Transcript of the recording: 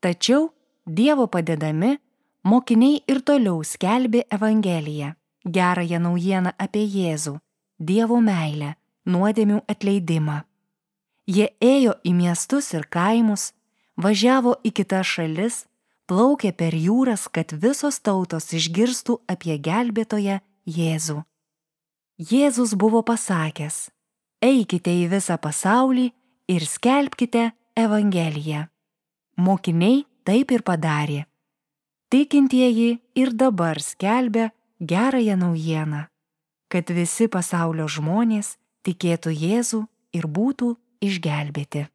Tačiau Dievo padedami, mokiniai ir toliau skelbė Evangeliją, gerąją naujieną apie Jėzų, Dievo meilę, nuodėmių atleidimą. Jie ėjo į miestus ir kaimus, važiavo į kitas šalis, plaukė per jūras, kad visos tautos išgirstų apie gelbėtoją Jėzų. Jėzus buvo pasakęs: eikite į visą pasaulį ir skelbkite Evangeliją. Mokiniai taip ir padarė. Tikintieji ir dabar skelbia gerąją naujieną, kad visi pasaulio žmonės tikėtų Jėzų ir būtų išgelbėti.